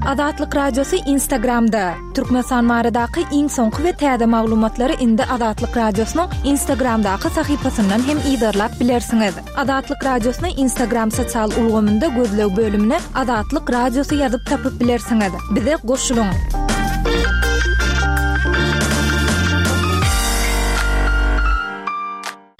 Azatlyk Radiosy Instagramda! Türkmenistan baradaky iň soňky we täze maglumatlary indi Azatlyk Radiosynyň Instagramdaky sahypasyndan hem yzarlap bilersiňiz. Azatlyk Radiosyny Instagram sosial ulgamynda gözleg bölümine Azatlyk Radiosy ýazyp tapyp bilersiňiz. Bize goşulyň!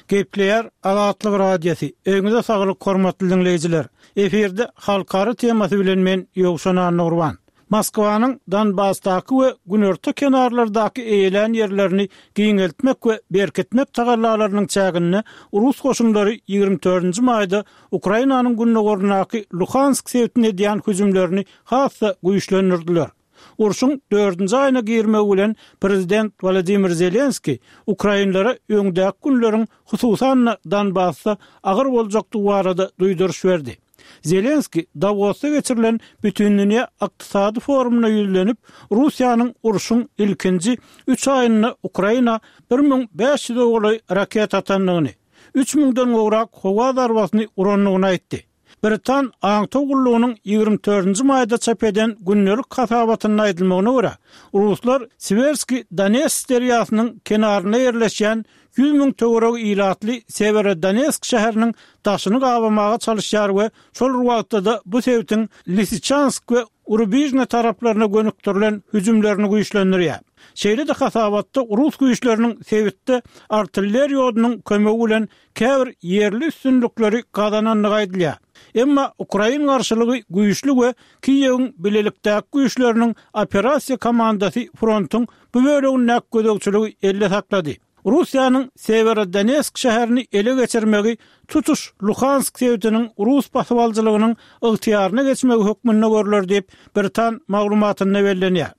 Gepleýär Azatlyk Radiosy, Öýüňize saglyk hormatly diňleýjiler! Efirde halkara temasy bilen men Ýowşan Annagurban. Moskwanyň Donbasdaky we günorta kenarlardaky eýelän ýerlerini giňeltmek we berkitmek tagallalarynyň çäginde rus goşunlary 24-nji maýda Ukrainanyň gündogaryndaky Luhansk sebitine edýän hüjümlerini has-da güýçlendirdiler. Urşuň dördünji aýyna girmegi bilen prezident Wolodymyr Zelenskiý ukrainlere öňdäki günleriň hususan-da Donbasda agyr boljakdygy barada duýduryş berdi. Zelenskiý Dawosda geçirilen Bütindünýä ykdysady forumyna ýüzlenip, Russiýanyň urşuň ilkinji üç aýynda Ukraina 1500-e golaý raketa atandygyny, üç müňden gowrak howa zarbasyny urandygyny aýtdy. Britan aňtaw gullugynyň 24-nji maýda çap eden gündelik hasabatynda aýdylmagyna görä, ruslar Siwerskiý Donets derýasynyň kenarynda ýerleşýän 100 müň töweregi ilatly Sewerodonetsk şäheriniň daşyny gabamaga çalyşýar we şol bir wagtda-da bu sebitiň Lisiçansk we Rubižne taraplaryna gönükdirilen hüjümlerini güýçlendirýär. Şeýle-de hasabatda rus güýçleriniň sebitde artilleriýa odunyň kömegi bilen käbir ýerli üstünlikleri gazanandygy aýdylýar. Emma ukrain garşylygy güýçli we Kiýewiň bilelikdäki güýçleriniň operasiýa komandasy frontuň bu bölegindäki gözegçiligi elde saklady. Russiýanyň Sewerodonetsk şäherini ele geçirmegi tutuş Luhansk sebitiniň rus basybalyjylygynyň ygtyýaryna geçmegi hökmünde görler diýip, britan maglumatynda bellenýär.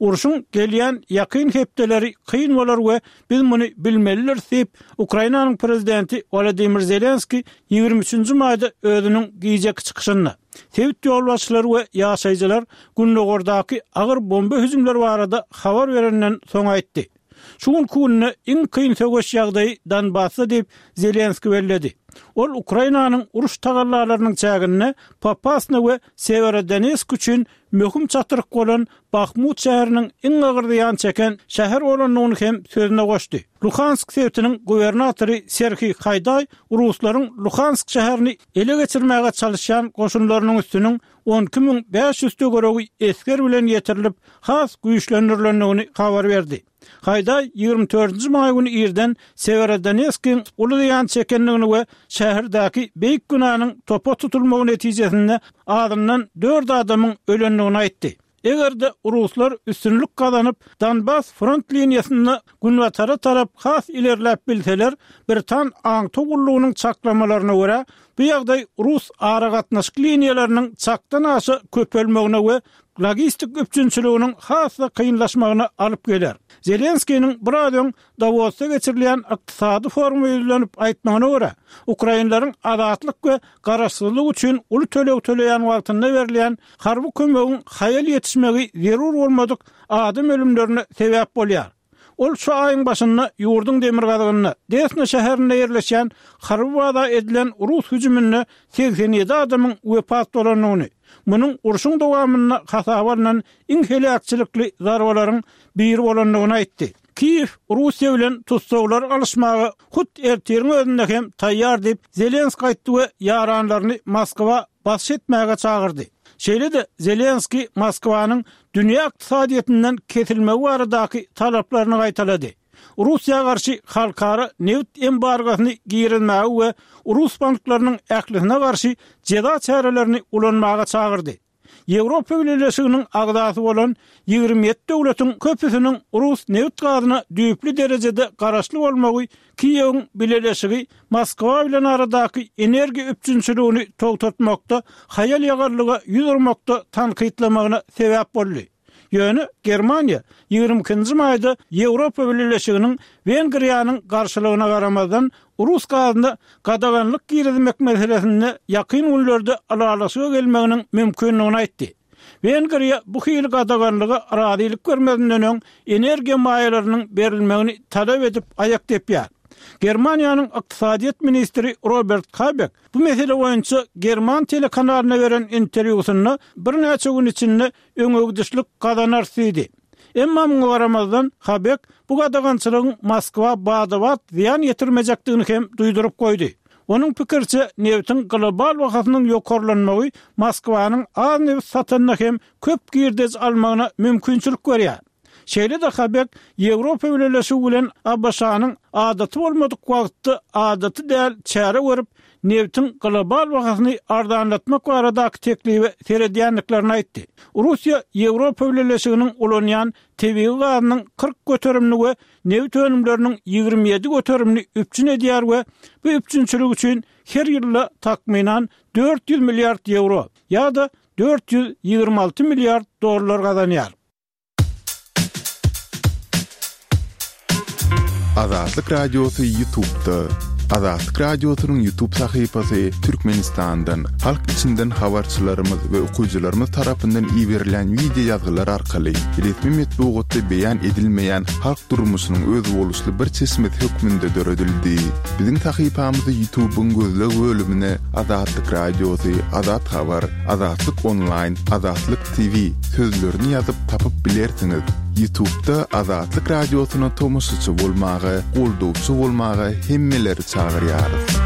Urşuň gelýän ýakyn hepdeleri kyn bolar we biz muny bilmelidiris diýip, Ukrainanyň prezidenti Wolodymyr Zelenskiý 23-nji maýda özüniň gijeki çykyşynda, sebit ýolbaşçylary we ýaşaýjylar gündogardaky agyr bomba hüjümleri barada habar berenden soň aýtdy. Şu günki günde iň kyn söweş ýagdaýy Donbasda diýip, Zelenskiý belledi. Ol Ukrainanyň uruş tagallalarynyň çäginde Popasna we Sewerodonetsk üçin möhüm çatryk bolan Bahmut şäheriniň iň agyr zyýan çeken şäher bolandygyny hem sözüne goşdy. Luhansk sebitiniň gubernatory Serhiý Haýdaý ruslaryň Luhansk şäherini ele geçirmäge çalyşýan goşunlarynyň üstüniň 12 500 töweregi esger bilen ýetirilip, has güýçlendirilendigini habar berdi. Haýdaý 24-nji maý güni irden Sewerodonetskiň uly zyýan çekendigini we şäherdäki beýik binanyň topa tutulmagy netijesinde azyndan dört adamyň ölendigini aýtdy. Eger-de ruslar üstünlik gazanyp, Donbas front liniýasynda günbatara tarap has ilerläp bilseler, britan aňtaw gullugynyň çaklamalaryna görä, bu ýagdaý rus aragatnaşyk liniýalarynyň çakdan aşa köpelmegine we logistik üpjünçiliginiň has-da kynlaşmagyna alyp geler. Zelenskiniň biraz öň Dawosda geçirilýän ykdysady foruma ýüzlenip aýtmagyna görä, ukrainleriň azatlyk we garaşsyzlyk üçin uly töleg töleýän wagtynda berilýän harby kömegiň haýal ýetişmegi zerur bolmadyk adam ölümlerine sebäp bolýar. Ol şu aýyň başynda ýurduň demirgazygynda, Desna şäherinde ýerleşýän harby baza edilen rus hüjüminde 87 adamyň wepat bolandygyny, munuň urşuň dowamynda hasaba alnan iň heläkçilikli zarbalaryň biri bolandygyny aýtdy. Kiýew Russiýa bilen tussaglary alyşmaga hut ertiriň özünde hem taýýar diýip, Zelenskiý aýtdy we ýaranlaryny Moskwa basyş etmäge çagyrdy. Şeýle-de Zelenskiý Moskwanyň dünýä ykdysadyýetinden kesilmegi baradaky talaplaryny gaýtalady. Russiýa garşy halkara nebit embargosyny girizmäge we rus banklarynyň ählisine garşy jeza çärelerini ulanmaga çagyrdy. Ýewropa Bileleşiginiň agzasy bolan 27 döwletiň köpüsiniň rus nebit-gazyna düýpli derejede garaşly bolmagy Kiýewiň Bileleşigi Moskwa bilen aradaky energiýa üpjünçiligini togtatmakda haýal-ýagallyga ýüz urmakda tankytlamagyna sebäp boldy. Ýöne Germaniýa 22-nji maýda Ýewropa Bileleşiginiň Wengriýanyň garşylygyna garamazdan, rus gazyna gadaganlyk girizmek meselesinde ýakyn günlerde ylalaşyga gelmeginiň mümkindigini aýtdy. Wengriýa bu hili gadaganlyga razylyk bermezinden öň energiýa maýalarynyň berilmegini talap edip aýak depýär. Germaniýanyň ykdysadyýet ministri Robert Habek bu mesele boýunça german telekanalyna beren interwýusynda birnäçe gün içinde öňegidişlik gazanarys diýdi. Emma muňa garamazdan, Habek bu gadagançylygyň Moskwa bada-bat zyýan ýetirmejekdigini hem duýduryp goýdy. Onuň pikiriçe, nebitiň global bahasynyň ýokarlanmagy Moskwanyň az nebit satanda hem köp girdeji almagyna mümkinçilik berýär. Şeýle-de Habek Ýewropa Bileleşigi bilen ABŞ-nyň adaty bolmadyk wagtda adaty däl çäre görüp, nebitiň global bahasyny arzanlatmak baradaky teklibe seredýändiklerini aýtdy. Russiýa Ýewropa Bileleşiginiň ulanýan tebigy gazynyň 40 göterimini we nebit önümleriniň 27 göterimini üpjün edýär we bu üpjünçilik üçin her ýylda takmynan 400 milliard ýewro ýa-da 426 milliard dollar gazanýar. Azatlyk Radiosy Ýutubda. Azatlyk Radiosynyň Ýutub sahypasy Türkmenistandan, halk içinden habarçylarymyz we okyjylarymyz tarapyndan iberilen wideo ýazgylar arkaly resmi metbugatda beýan edilmeýän halk durmuşynyň özboluşly bir çeşmesi hökmünde döredildi. Biziň sahypamyzy Ýutubyň gözleg bölümine Azatlyk Radiosy, Azat Habar, Azatlyk Onlaýn, Azatlyk TV sözlerini ýazyp tapyp bilersiňiz. Ýutubda Azatlyk Radiosyna tomaşaçy bolmaga, goldawçy bolmaga hemmeleri çagyrýarys.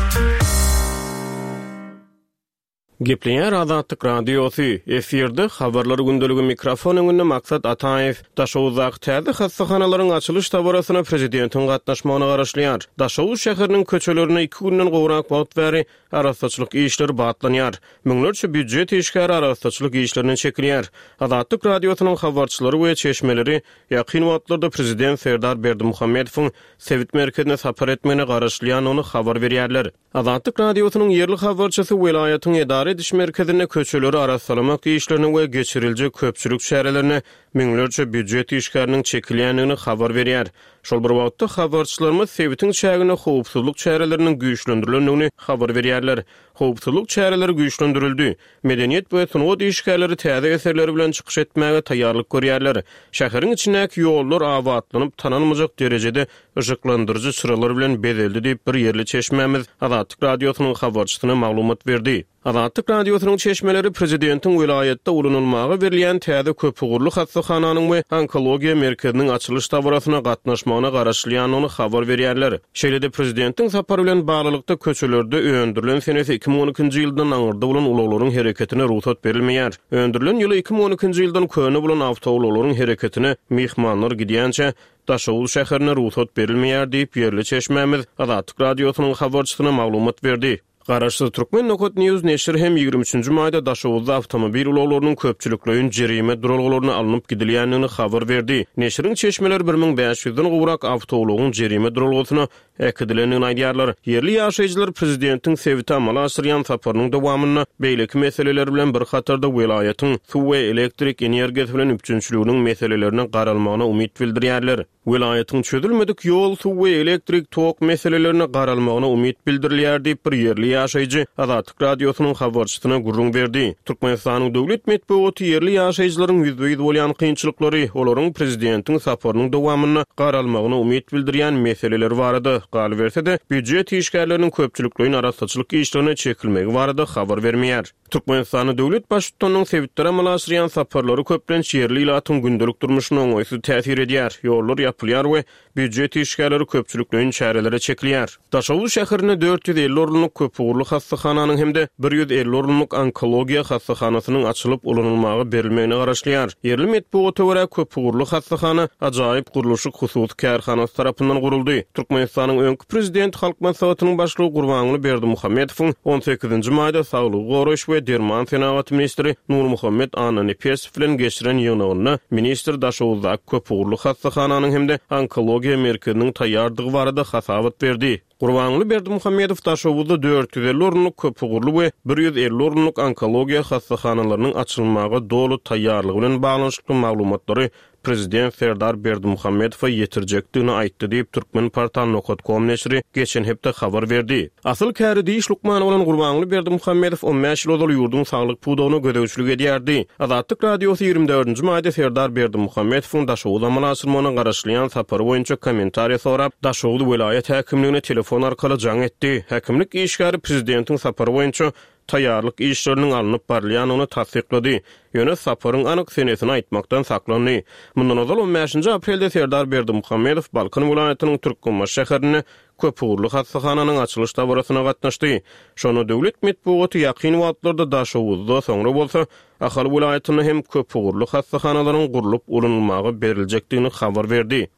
Gepleýär Azatlyk Radiosy, efirde Habarlar gündeligi mikrofon öňünde Maksat Ataýew. Daşoguzdaky täze hassahanalaryň açylyş dabarasyna prezidentiň gatnaşmagyna garaşylýar. Daşoguz şäheriniň köçelerinde iki günden gowrak wagt bäri Arassaçylyk işleri batlanýar. Müňlerçe býujet işgäri arassaçylyk işlerine çekilýär. Azatlyk Radiosynyň habarçylary we çeşmeleri ýakyn wagtlarda prezident Serdar Berdimuhamedowyň sebit merkezine sapar etmegine garaşylýandygyny habar berýärler. Azatlyk Radiosynyň ýerli habarçysy welaýatyň edara ediş merkezinde köçeleri arassalamak işlerine we geçiriljek köpçülik çärelerine müňlerçe býujet işgäriniň çekilýändigini habar berýär. Şol bir wagtda, habarçylarymyz sebitiň çäginde howpsuzlyk çäreleriniň güýçlendirilendigini habar berýärler. Howpsuzlyk çäreleri güýçlendirildi. Medeniýet we sungat işgärleri täze eserleri bilen çykyş etmäge taýýarlyk görýärler. Şäheriň içindäki ýollar abatlanyp, tanalmajak derejede yşyklandyryjy çyralar bilen bezeldi diýip, bir ýerli çeşmämiz Azatlyk Radiosynyň habarçysyna maglumat berdi. Azatlyk Radiosynyň çeşmeleri prezidentiň welaýatda ulanylmaga berilýän täze köpugurly hassahananyň we onkologiýa merkeziniň açylyş dabarasyna gatnaşmagyna garaşylýandygyny habar berýärler. Şeýle-de prezidentiň sapary bilen baglylykda köçelerde öndürilen senesi 2012-nji ýyldan aňyrda bolan ulaglaryň hereketine rugsat berilmeýär. Öndürilen ýyly 2012-nji ýyldan köne bolan awtoulaglaryň hereketine myhmanlar gidýänçä Daşoguz şäherinde rugsat berilmeýär diýip, ýerli çeşmämiz Azatlyk Radiosynyň habarçysyna maglumat berdi. Garaşsyz Türkmen Nokat News neşiri hem ýigrimi üçünji maýda Daşoguzda awtomobil ulaglarynyň köpçülikleýin jerime duralgalaryna alnyp gidilýändigini habar berdi. Neşiriň çeşmeleri bir müň bäş ýüzden gowrak awtoulagyň jerime duralgasyna äkidilendigini aýdýarlar. Ýerli ýaşaýjylar prezidentiň sebite amala aşyrýan saparynyň dowamynda beýleki meseleler bilen bir hatarda welaýatyň suw we elektrik energiýasy bilen üpjünçiliginiň meselelerine garalmagyna umyt bildirýärler. Welaýatyň çözülmedik ýol, suw we elektrik tok meselelerine garalmagyna umyt bildirilýär diýip, bir ýerli ýaşaýjy Azatlyk Radiosynyň habarçysyna gürrüň berdi. Türkmenistanyň döwlet metbugaty ýerli ýaşaýjylaryň ýüzbe-ýüz bolýan kynçylyklary, olaryň prezidentiň saparynyň dowamynda garalmagyna umyt bildirýän meseleleri barada, galyberse-de, býujet işgärleriniň köpçülikleýin arassaçylyk işlerine çekilmegi barada habar bermeýär. Türkmenistanda döwlet Baştutanynyň sebitlere amala aşyrýan saparlary köplenç ýerli ilatyň gündelik durmuşyna oňaýsyz täsir edýär, ýollar ýapylýar we býujet işgärleri köpçülikleýin çärelere çekilýär. Daşoguz şäherinde 450 orunlyk köpugurly hassahananyň hem-de 150 orunlyk onkologiýa hassahanasynyň açylyp ulanylmaga berilmegine garaşylýar. Ýerli metbugata görä, köpugurly hassahana Ajaýyp gurluşyk hususy kärhanasy tarapyndan guruldy. Türkmenistanyň öňki Prezident Halk Maslahatynyň Başlygy Gurbanguly Berdimuhamedowyň on sekizinji maýda saglygy goraýyş we derman senagaty ministri Nurmuhammet Annanepesow bilen geçiren ýygnagynda ministr Daşoguzdaky köpugurly hassahananyň hem-de onkologiýa merkeziniň taýýardygy barada hasabat berdi. Gurbanguly Berdimuhamedow Daşoguzda 450 orunlyk köpugurly we 150 orunlyk onkologiýa hassahanalarynyň açylmaga doly taýýarlygy bilen baglanyşykly maglumatlary. prezident Serdar Berdimuhamedowa ýetirjekdigini aýtdy diýip, Turkmenportal nokat kom neşiri geçen hepde habar berdi. Asyl käri diş lukmany bolan Gurbanguly Berdimuhamedow on bäş ýyl ozal ýurduň saglyk pudagyna gözegçilik edýärdi. Azatlyk Radiosy 24-nji maýda Serdar Berdimuhamedowyň Daşoguza amala aşyrmagyna garaşylýan sapary boýunça kommentariýa sorap, Daşoguz welaýat häkimligine telefon arkaly jaň etdi. Häkimlik işgäri prezidentiň sapary boýunça taýýarlyk işleriniň alnyp barylýandygyny tassyklady, ýöne saparyň anyk senesini aýtmakdan saklandy. Mundan ozal, on bäşinji aprelde Serdar Berdimuhamedow Balkan welaýatynyň Türkmenbaşy şäherinde köpugurly hassahananyň açylyş dabarasyna gatnaşdy. Şonda döwlet metbugaty ýakyn wagtlarda Daşoguzda, soňra bolsa Ahal welaýatynda hem köpugurly hassahanalaryň gurlup ulanylmaga beriljekdigini habar berdi.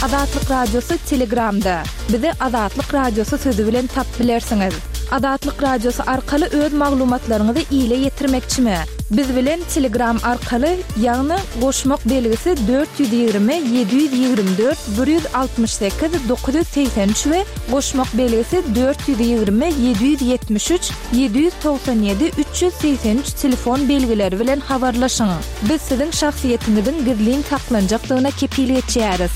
Azatlyk Radiosy Telegramda. Bizi Azatlyk Radiosy sözi bilen tapyp bilersiňiz. Azatlyk Radiosy arkaly öz maglumatlaryňyzy ile ýetirmekçimi? Biz bilen Telegram arkaly, ýagny goşmak belgisi 420 724 168 983 we goşmak belgisi 420 773 797 383 telefon belgileri bilen habarlaşyň. Biz siziň şahsyýetiňiziň gizlin saklanjakdygyna kepil geçýäris.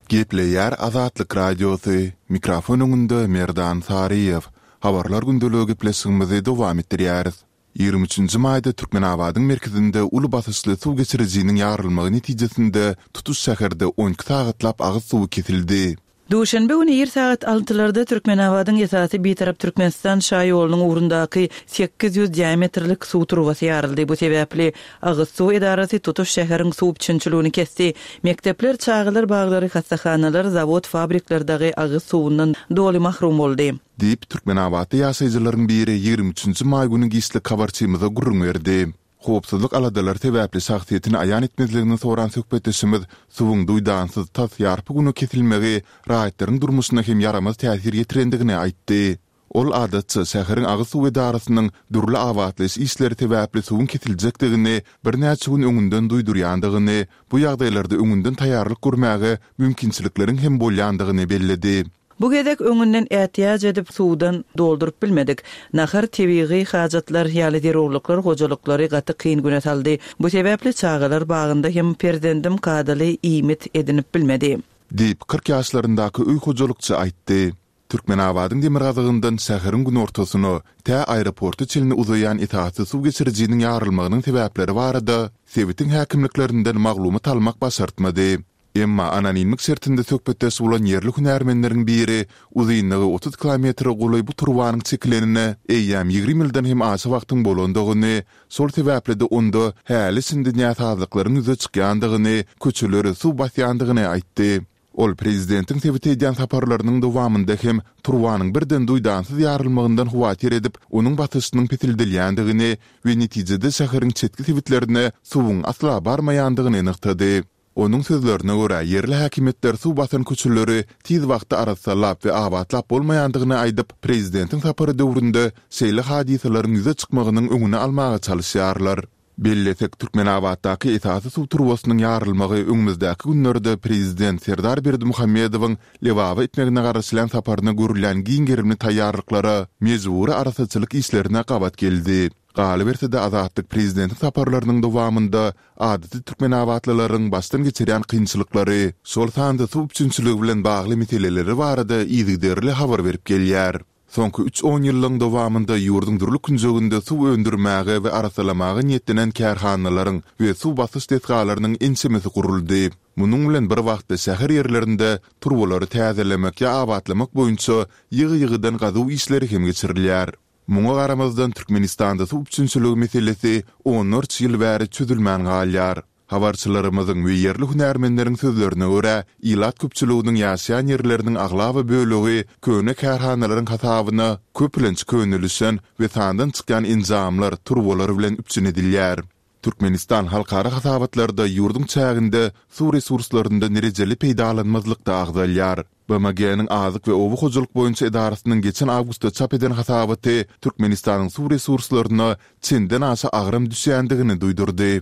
Gepleýär Azatlyk Radiosy, mikrofon öňünde Merdan Saryýew. Habarlar gündeligi gepleşigimizi dowam etdirýäris. 23-nji maýda Türkmenabadyň merkezinde uly basyşly suw geçirijiniň ýarylmagy netijesinde tutuş şäherde 12 sagatlap agyz suwy kesildi. Duşenbe güni ir sagat altylarda Türkmenabadyň esasy Bitarap Türkmenistan şaýolunyň ugrundaky 800 diametrlik suw turbasy ýaryldy. Bu sebäpli agyz suw edarasy tutuş şäheriň suw üpjünçiligini kesdi. Mekdepler, çagalar baglary, hassahanalar, zawod-fabrikler dagy agyz suwundan doly mahrum boldy. Diýip, türkmenabatly ýaşaýjylaryň biri 23 nji maý güni giçlik habarçymyza gürrüň berdi. Howpsuzlyk aladalary sebäpli şahsyýetini aýan etmezligini soran söhbetdeşimiz suwuň duýdansyz tas ýarpy güne kesilmegi raýatlaryň durmuşyna hem ýaramaz täsir ýetirendigini aýtdy. Ol adatça şäheriň agyz suw edarasynyň dürli abatlaýyş işleri sebäpli suwuň kesiljekdigini birnäçe gün öňünden duýdurýandygyny, bu ýagdaýlarda öňünden taýýarlyk görmäge mümkinçilikleriň hem bolýandygyny belledi. Bu gezek öňünden ätiýaç edip suwdan dolduryp bilmedik. Nahar, tebigy hajatlar ýaly zerurlyklar hojalyklary gaty kyn güne saldy. Bu sebäpli çagalar bagynda hem perzendim kadaly iýmit edinip bilmedi. Diýip, 40 ýaşlaryndaky öý hojalykçy aýtdy. Türkmenabadyň demirgazygyndan şäheriň günortasyna, tä aeroporta çenli uzaýan esasy suw geçirijiniň ýarylmagynyň sebäpleri barada sebitiň häkimliklerinden maglumat almak başartmady. Emma anonimlik şertinde söhbetdeş bolan ýerli hünärmenleriň biri uzynlygy 30 kilometre golaý bu turbanyň çekilenine eýýäm 20 ýyldan hem aşa wagtyň bolandygyny, şol sebäpli-de onda häli-şindi näsazlyklaryň ýüze çykýandygyny, köçeleri suw basýandygyny aýtdy. Ol prezidentiň sebite edýän saparlarynyň dowamynda hem turbanyň birden duýdansyz ýarylmagyndan howatyr edip, onuň basyşynyň peseldilýändigini we netijede şäheriň çetki sebitlerine suwuň asla barmaýandygyny nygtady. Onuň sözlerine görä, ýerli häkimiýetler suw basan köçeleri tiz wagtda arassalap we abatlap bolmaýandygyny aýdyp, prezidentiň sapary döwründe şeýle hadysalaryň ýüze çykmagynyň öňüni almaga çalyşýarlar. Bellesek, Türkmenabatdaky esasy suw turbasynyň ýarylmagy öňümizdäki günlerde prezident Serdar Berdimuhamedowyň Lebaba etmegine garaşylýan saparyna görülýän giň gerimli taýýarlyklara, mejbury arassaçylyk işlerine gabat geldi. Galyberse-de, Azatlyk prezidentiň saparlarynyň dowamynda adaty türkmenabatlylaryň başdan geçirýän kynçylyklary, şol sanda suw üpjünçiligi bilen bagly meseleleri barada yzygiderli habar berip gelýär. Soňky üç onýyllygyň dowamynda ýurduň dürli künjeginde suw öndürmäge we arassalamaga niýetlenen kärhanalaryň we suw basyş desgalarynyň ençemesi guruldy. Munuň bilen bir wagtda şäher ýerlerinde turbalary täzelemek ýa abatlamak boýunça ýygy-ýygydan gazuw işleri hem geçirilýär. Muňa garamazdan, Türkmenistanda suw üpjünçiligi meselesi onlarça ýyl bäri çözülmän galýar. Habarçylarymyzyň we ýerli hünärmenleriň sözlerine görä, ilat köpçüliginiň ýaşaýan ýerleriniň aglaba bölegi köne kärhanalaryň hasabyna köplenç könelişen we sandan çykýan enjamlar, turbalar bilen üpjün edilýär. Türkmenistan halkara hasabatlarda ýurduň çäginde suw resurslaryndan rejeli peýdalanmazlykda agzalýar. BMG-niň Azyk we oba hojalyk boýunça edarasynyň geçen awgustda çap eden hasabaty Türkmenistanyň suw resurslaryna çenden-aşa agram düşýändigini duýdurdy.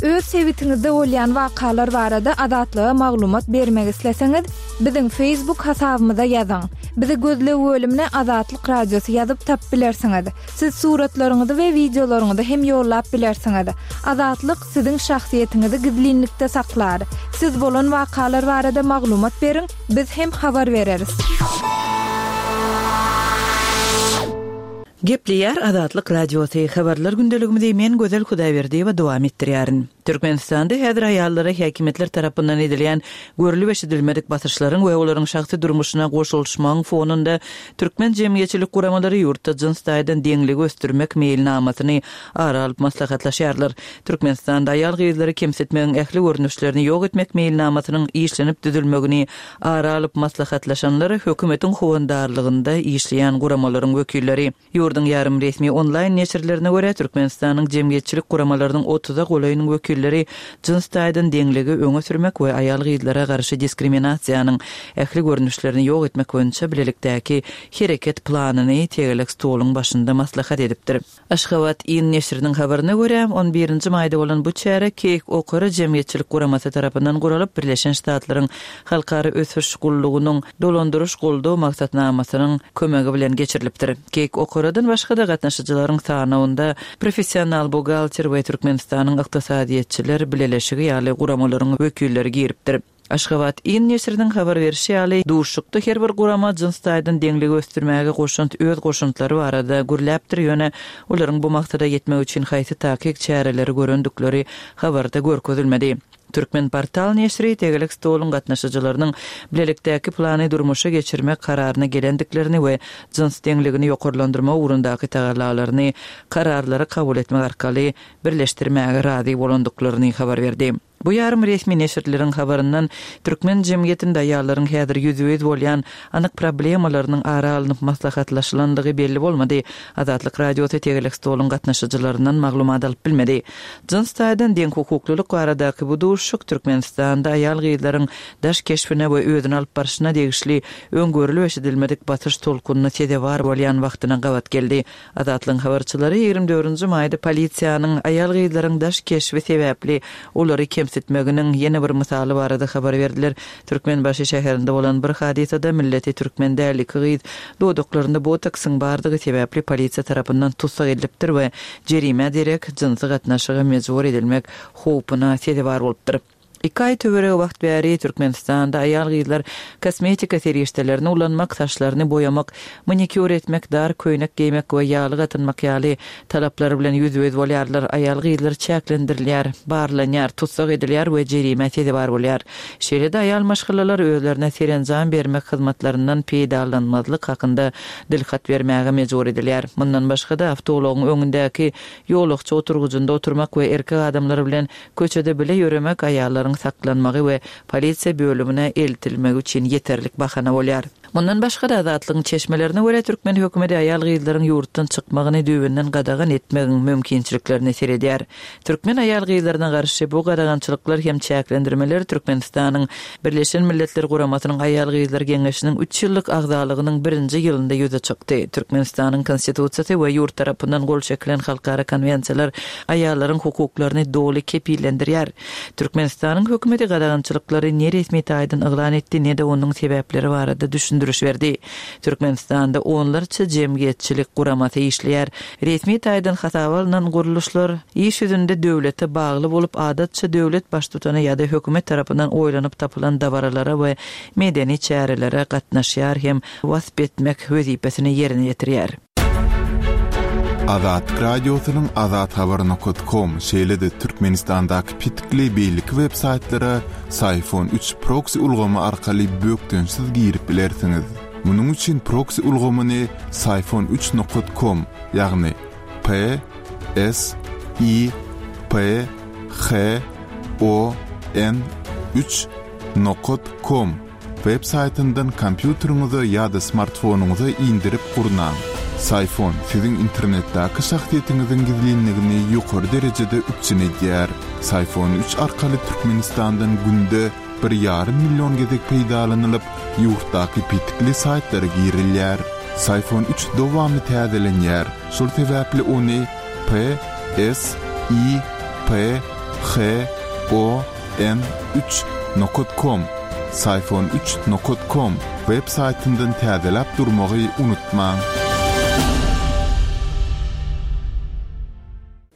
Öz sebitiňizde bolýan wakalar barada Azatlyga maglumat bermek isleseňiz, biziň Facebook hasabymyza ýazyň. Bizi gözleg bölümine Azatlyk Radiosy ýazyp tapyp bilersiňiz. Siz suratlaryňyzy we wideolaryňyzy hem ýollap bilersiňiz. Azatlyk siziň şahsyýetiňizi gizlinlikde saklar. Siz bolan wakalar barada maglumat beriň, biz hem habar bereris. Gepleýär Azatlyk Radiosy, Habarlar gündeligimizi men Gözel Hudaýberdiýewa dowam etdirýärin. Türkmenistanda häzir aýallara häkimiýetler tarapyndan edilýän görlüp-eşidilmedik basyşlaryň we olaryň şahsy durmuşyna goşulyşmagyň fonunda türkmen jemgyýetçilik guramalary ýurtda jyns taýdan deňligi ösdürmek meýilnamasyny ara alyp maslahatlaşýarlar. Türkmenistanda aýal-gyzlary kemsitmegiň ähli görnüşlerini ýok etmek meýilnamasynyň işlenip düzülmegini Ara alyp maslahatlaşanlar hökümetiň howandarlygynda işleýän guramalaryň wekilleri. Ýurduň ýarym resmi onlaýn neşirlerine görä, Türkmenistanyň jemgyýetçilik guramalarynyň otuza golaýynyň wekilleri jyns taýdan deňligi öňe sürmek we aýal-gyzlara garşy diskriminasiýanyň ähli görnüşlerini ýok etmek boýunça bilelikdäki hereket planyny tegelek stoluň başynda maslahat edipdir. Aşgabat in neşiriniň habaryna görä, on birinji maýda bolan bu çäre Keýik Okara jemgyýetçilik guramasy tarapyndan guralyp, Birleşen Ştatlaryň Halkara ösüş gullugynyň Dolandyryş goldaw maksatnamasynyň kömegi bilen geçirilipdir. Keýik Okaradan başga-da gatnaşyjylaryň sanawynda Professional buhgalter we Türkmenistanyň Ykdysadyýetçiler bileleşigi ýaly guramalaryň wekilleri giripdir. Aşgabat in neşiriniň habar berşi ýaly, duşuşykda her bir gurama jyns taýdan deňligi ösdürmäge goşant öz goşantlary barada gürläpdir, ýöne olaryň bu maksada ýetmek üçin haýsy takyk çäreleri görendikleri habarda görkezilmedi. Türkmenportal neşiri tegelek stoluň gatnaşyjylarynyň bilelikdäki plany durmuşa geçirmek kararyna gelendiklerini we jyns deňligini ýokarlandyrmak ugrundaky tagallalaryny kararlary kabul etmek arkaly birleşdirmäge razy bolandyklaryny habar berdi. Bu ýarym resmi neşirleriň habaryndan türkmen jemgyýetinde aýallaryň häzir ýüzbe-ýüz bolýan anyk problemalarynyň ara alnyp maslahatlaşylandygy belli bolmady. Azatlyk Radiosy tegelek stoluň gatnaşyjylaryndan maglumat alyp bilmedi. Jyns taýdan deňhukuklylyk baradaky bu duşuşyk Türkmenistanda aýal-gyzlaryň daş keşbine we özüni alyp barşyna degişli öň görlüp-eşidilmedik basyş tolkunyna sezewar bolýan wagtyna gabat geldi. Azatlygyň habarçylary 24 nji maýda polisiýanyň aýal-gyzlaryň daş keşbi sebäpli olary kemsitmeginiň ýene bir mysaly barada habar berdiler. Türkmenbaşy şäherinde bolan bir hadysada milleti türkmen däl iki gyz dodaklarynda botoksyň bardygy sebäpli polisiýa tarapyndan tussag edilipdir we jerimä derek jynsy gatnaşyga mejbur edilmek howpuna sezewar bolupdyr. Iki aý töweregi wagt bäri Türkmenistanda aýal-gyzlar kosmetika serişdelerini ulanmak, saçlaryny boýamak, manikýur etmek, dar köýnek geýmek we ýaglyk atynmak ýaly talaplar bilen ýüzbe-ýüz bolýarlar. Aýal-gyzlar çäklendirilýär, barlanýar, tussag edilýär we jerimä sezewar bolýar. Şeýle-de aýal maşgalalar özlerine serenjam bermek hyzmatlaryndan peýdalanmazlyk hakynda dilhat bermäge mejbur edilýär. Mundan başga-da, awtoulagyň öňündäki ýolagçy oturgyjynda oturmak we erkek adamlar bilen Köçede bile ýöremek aýallaryň saklanmagy we polisiýa bölümine eltilmegi üçin ýeterlik bahana bolýar. Mundan başga-da, Azatlygyň çeşmelerine görä, türkmen hökümeti aýal-gyzlaryň ýurtdan çykmagyny düýbünden gadagan etmegiň mümkinçiliklerine seredýär. Türkmen aýal-gyzlaryna garşy bu gadagançylyklar hem çäklendirmeler Türkmenistanyň Birleşen Milletler Guramasynyň Aýal-gyzlar geňeşiniň üç ýyllyk agzalygynyň birinji ýylynda ýüze çykdy. Türkmenistanyň Konstitusiýasy we ýurt tarapyndan gol çekilen halkara konwensiýalar aýallaryň hukuklaryny doly kepillendirýär. Türkmenistanyň hökümeti gadagançylyklary ne resmi taýdan yglan etdi, ne-de onuň sebäpleri barada düşündiriş berdi. Türkmenistanda onlarça jemgyýetçilik guramasy işleýär. Resmi taýdan hasaba alnan gurluşlar iş ýüzünde döwlete bagly bolup, adatça döwlet baştutany ýa-da hökümet tarapyndan oýlanyp tapylan dabaralara we medeni çärelere gatnaşýar hem wasp etmek wezipesini ýerine ýetirýär. Azatlyk Radiosynyň azathabar nokat kom şeýle-de Türkmenistandaky petikli beýleki web saýtlara Syfon üç proksi ulgamy arkaly bökdençsiz girip bilersiňiz. Munuň üçin proksi ulgamyny Syfon üç nokat kom, ýagny P S I P H O N üç nokat kom Web saýtyndan kompýuteriňize ýa-da smartfonyňyza indirip gurnaň. Syfon siziň internetdäki şahsyýetiňiziň gizlinligini ýokary derejede üpjün edýär. Syfon üç arkaly Türkmenistandan günde bir ýarym million gezek peýdalanylyp, ýurtdaky petikli saýtlara girilýär. Syfon üç dowamly täzelenýär, şol sebäpli ony P, S, I, P. H O N üç nokat kom, Syfon üç nokat kom, web saýtyndan täzeläp durmagy unutmaň.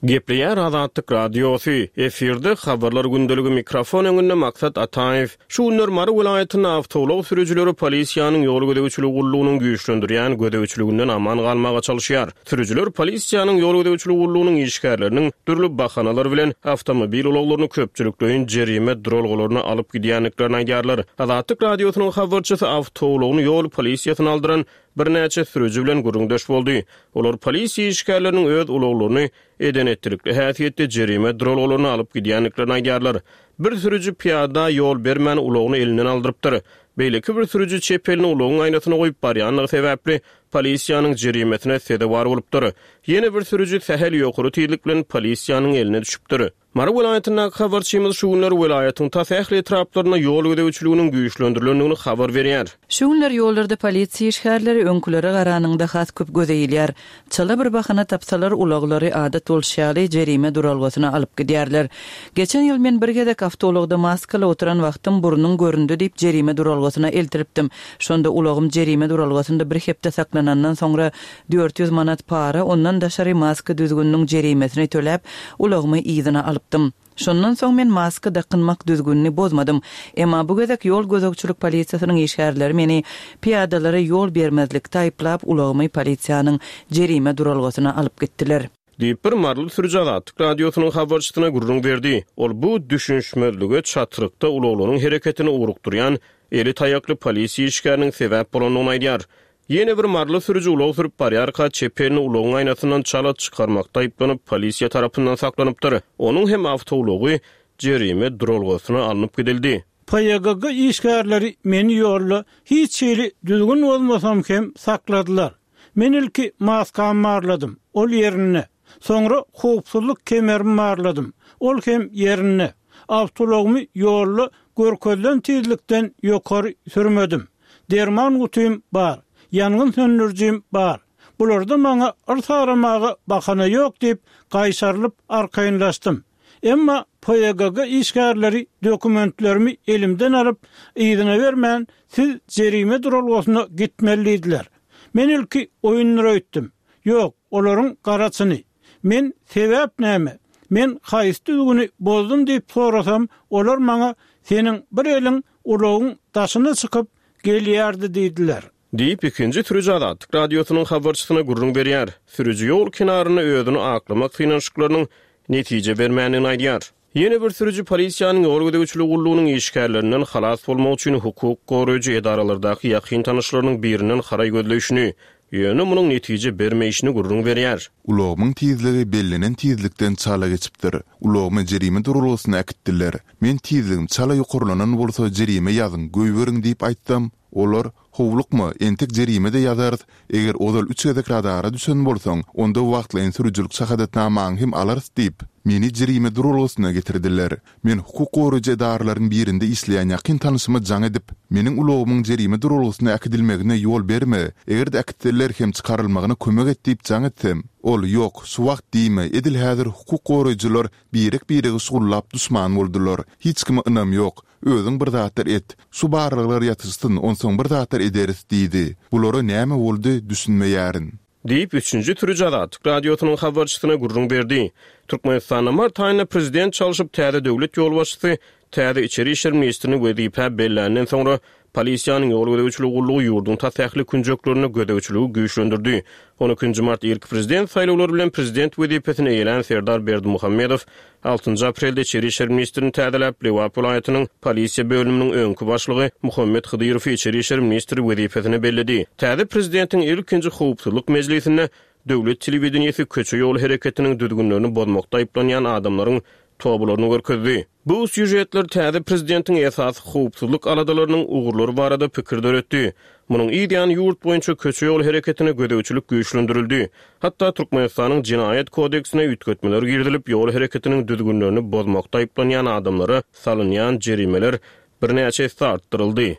Gepleýär Azatlyk Radiosy, efirde Habarlar gündeligi mikrofon öňünde Maksat Ataýew. Şu günler Mary welaýatynda awtoulag sürüjileri polisiýanyň ýol gözegçiligi gullugynyň güýçlendirýän gözegçiliginden aman galmaga çalyşýar. Sürüjiler polisiýanyň ýol gözegçiligi gullugynyň işgärleriniň dürli bahanalar bilen awtomobil ulaglaryny köpçülikleýin jerime duralgalaryna alyp gidýändiklerini aýdýarlar. Azatlyk Radiosynyň habarçysy awtoulagyny ýol polisiýasyna aldyran birnäçe sürüji bilen gürrüňdeş boldy. Olar polisiýa işgärleriniň öz ulaglaryny eden-etdilikli häsiýetde jerime duralgalaryna alyp gidýändiklerini aýdýarlar. Bir sürüji pyýada ýol bermän ulagyny elinden aldyrypdyr. Beýleki bir sürüji çep elini ulagyň aýnasyna goýup barýandygy sebäpli, polisiýanyň jerimesine sezewar bolupdyr. Ýene bir sürüji sähel ýokary tizlik bilen polisiýanyň eline düşüpdir. Mary welaýatyndaky habarçymyz şu günler welaýatyň tas ähli etraplarynda ýol gözegçiliginiň güýçlendirilendigini habar berýär. Şu günler ýollarda polisiýa işgärleri öňkülere garanyňda has köp göze ilýär. Çala bir bahana tapsalar ulaglary adat bolşy ýaly jerime duralgasyna alyp gidýärler. Geçen ýyl men bir gezek awtoulagda maskaly oturan wagtym burnuň göründi diýip jerime duralgasyna eltilipdim. Şonda ulagym jerime duralgasynda bir hepde saklanandan soňra 400 manat para, ondan daşary maska düzgüniniň jerimesini töläp, ulagymy yzyna alypdym. Şondan soň men maska dakynmak düzgünini bozmadym. Emma bu gezek ýol gözegçilik polisiýasynyň işgärleri meni pyýadalara ýol bermezlikde aýyplap, ulagymy polisiýanyň jerime duralgasyna alyp gitdiler. Diýip, bir maryly sürüji Azatlyk Radiosynyň habarçysyna gürrüň berdi. Ol bu düşünişmezlige çatrykda ulaglaryň hereketini ugrukdyrýan eli taýakly polisiýa işgäriniň sebäp bolandygyny aýdýar. Ýene bir maryly sürüji ulag sürüp barýarka, çep elini ulagyň aýnasyndan çala çykarmakda aýyplanyp, polisiýa tarapyndan saklanypdyr. Onuň hem awtoulagy jerime duralgasyna alnyp gidildi. PYGG işgärleri meni ýolda hiç hili düzgün bozmasam hem sakladylar. Men ilki maskamy barladym, ol ýerinde. Soňra howpsuzlyk kemerimi barladym, ol hem ýerinde. Awtoulagymy ýolda görkezilen tizlikden ýokary sürmedim. Derman gutym bar, ýangyn söndürijim bar. Bularda maňa yrsaramaga bahana ýok diýip, gaýşarylyp arkaýynlaşdym. Emma PYGG işgärleri dokumentlerimi elimden alyp, yzyna bermän, siz jerime duralgasyna gitmeli diýdiler. Men ilki oýundyr öýtdüm. Ýok, olaryň gara çyny. Men sebäp näme? Men haýsy düzgüni bozdum diýip sorasam, olar maňa seniň bir eliň ulagyň daşyna çykyp gelýärdi diýdiler. Diýip, ikinji sürüji Azatlyk Radiosynyň habarçysyna gürrüň berýär. Sürüji ýol kenarynda özüni aklamak synanyşyklarynyň netije bermändigini aýdýar. Ýene bir sürüji polisiýanyň ýol gözegçiligi gullugynyň işgärlerinden halas bolmak üçin hukuk goraýjy edaralardaky ýakyn tanyşlarynyň birinden haraý gözleýşini, ýöne munuň netije bermeýşini gürrüň berýär. Ulagymyň tizligi bellenen tizlikden çala geçipdir. Ulagymy jerime duralgasyna äkitdiler. Men tizligim çala ýokarlanan bolsa jerime ýazyň, goýberiň diýip aýtsam, olar, Howlukma, entek jerime-de ýazarys, eger ozal üç gezek radara düşen bolsaň, onda wagtlaýyn sürüjilik şahadatnamaňy hem alarys diýip, meni jerime duralgasyna getirdiler. Men hukuk goraýjy edaralaryň birinde işleýän ýakyn tanyşyma jaň edip, meniň ulagymyň jerime duralgasyna äkidilmegine ýol berme, eger-de äkitseler hem çykarylmagyna kömek et diýip jaň etsem, ol, Ýok, şu wagt diýme, edil häzir hukuk goraýjylar birek-biregi şugullap duşman boldular, hiç kime ynam ýok, Özüň bir zatlar et. Şu barlaglar ýatyşsyn, onsoň bir zatlar ederis diýdi. Bulara näme boldy, düşünmeýärin. Diýip, üçünji sürüji Azatlyk Radiosynyň habarçysyna gürrüň berdi. Türkmenistanda mart aýynda prezident çalşyp, täze döwlet ýolbaşçysy täze içeri işler ministrini wezipä belländen soňra, polisiýanyň ýol gözegçiligi gullugy ýurduň tas ähli künjeklerinde gözegçiligi güýçlendirdi. On ikinji mart irki prezident saýlawlary bilen prezident wezipesini eýelän Serdar Berdimuhamedow Altynjy aprelde içeri işler ministrini täzeläp, Lebap welaýatynyň polisiýa bölüminiň öňki başlygy Muhammet Hydyrowy içeri işler ministri wezipesine belledi. Täze prezidentiň ilkinji howpsuzlyk mejlisinde döwlet telewideniýesi köçe-ýol hereketiniň düzgünlerini bozmakda aýyplanýan adamlaryň tobalaryny görkezdi. Bu sýužetler täze prezidentiň esasy howpsuzlyk aladalarynyň ugurlary barada pikir döretdi. Munuň yz ýany ýurt boýunça köçe-ýol hereketine gözegçilik güýçlendirildi. Hatda Türkmenistanyň Jenaýat kodeksine üýtgetmeler girizilip, ýol hereketiniň düzgünlerini bozmakda aýyplanýan adamlara salynýan jerimeler birnäçe esse artdyryldy.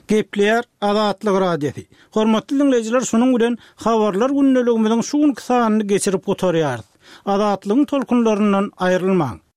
Gepleýär Azatlyk Radiosy. Hormatly diňleýjiler şunuň bilen Habarlar gündeligimiziň şu günki sanyny geçirip gutarýarys. Azatlygyň tolkunlaryndan aýrylmaň!